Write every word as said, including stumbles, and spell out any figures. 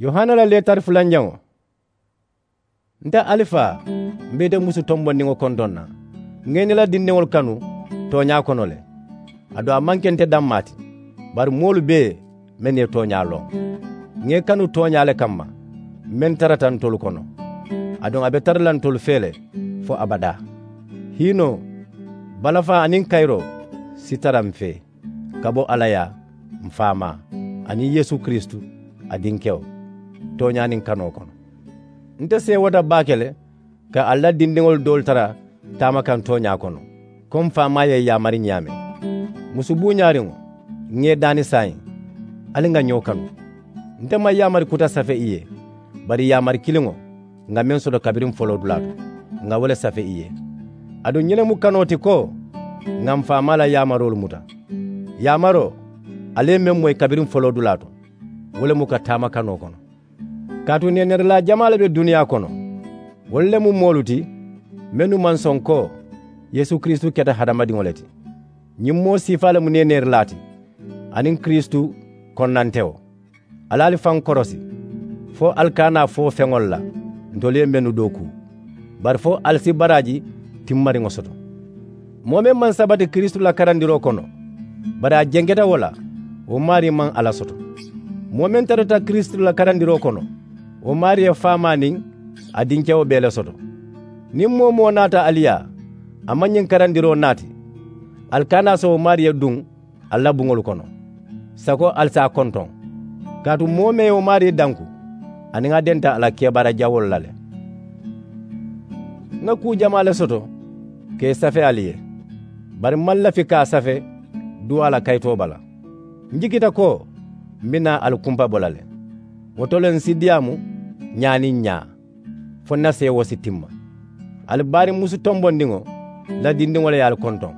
Yohana la leetari fulanjaŋo. Nte alifaa, m̀ be ite musu tombondiŋo kontoŋ na. Ŋà ì niŋ ì la dindiŋolu kanu tooñaa kono le. Aduŋ a maŋ ke nte dammaa ti, bari moolu bee mennu ye tooñaa loŋ. Ŋà ì kanu tooñaa le kamma, meŋ tarata ntolu kono, aduŋ a be tara la ntolu fee le fo abadaa. Hiinoo, balafaa aniŋ kayiroo si tara m̀ fee, ka bo alla yaa, m̀ faamaa, aniŋ yeesu kiristu, a dinkewo, tooñaa niŋ kanoo kono. Nte seewota baake le ka alla la dindiŋolu doolu tara taama kaŋ tooñaa kono, ko m̀ faamaa ye ì yaamari ñaameŋ. Musu buuñaariŋo, ŋà ì daani saayiŋ, ali ŋà ñoo kanu. Nte maŋ yaamari kuta safe ì ye, bari yaamari kiliŋo, ŋà meŋ soto kabiriŋ foloodulaa to, ŋà wo le safe ì ye. Aduŋ ñiŋ ne mu kanoo ti ko, ŋà m̀ faamaa la yaamaroolu muta. Yaamaroo, ali ye meŋ moyi kabiriŋ foloodulaa to, wo le mu ka taama kanoo kono. Kaatu neeneerilaa jamaa le be duniyaa kono. Wolu le mu moolu ti, mennu maŋ soŋ ko yeesu kiristu keta hadamadiŋo le ti. Ñiŋ moo siifaa le mu neeneerilaa ti, aniŋ kiristu konnantewo. Ali ali faŋ korosi, fo ali kana a fo feŋolu la ntolu ye mennu dookuu, bari fo ali si baraaji timmariŋo soto. Moo meŋ maŋ sabati kiristu la karandiroo kono, bari a jenketa wo la, wo maarii maŋ alla soto. Moo meŋ tarata kiristu la karandiroo kono, wo maarii ye faamaa niŋ a dinkewo bee le soto. Niŋ moo-wo-moo naata ali yaa, a maŋ ñiŋ karandiroo naati, ali kana a so wo maarii ye duŋ ali la buŋolu kono, sako ali si a kontoŋ. Kaatu moo meŋ ye wo maarii danku, aniŋ a denta a la kebaara jawoolu la le. Ŋà kuu jamaa le soto ka ì safe ali ye, bari m̀ maŋ lafi ka a safe duwaa la kayitoo bala. M̀ jikita ko m̀ be naa ali kumpa bo la le. Wo to le m̀ si diyaamu ñaa niŋ ñaa, fo ǹ na seewoo si timma. Ali baariŋ musu tombondiŋo la dindiŋo le ye ali kontoŋ.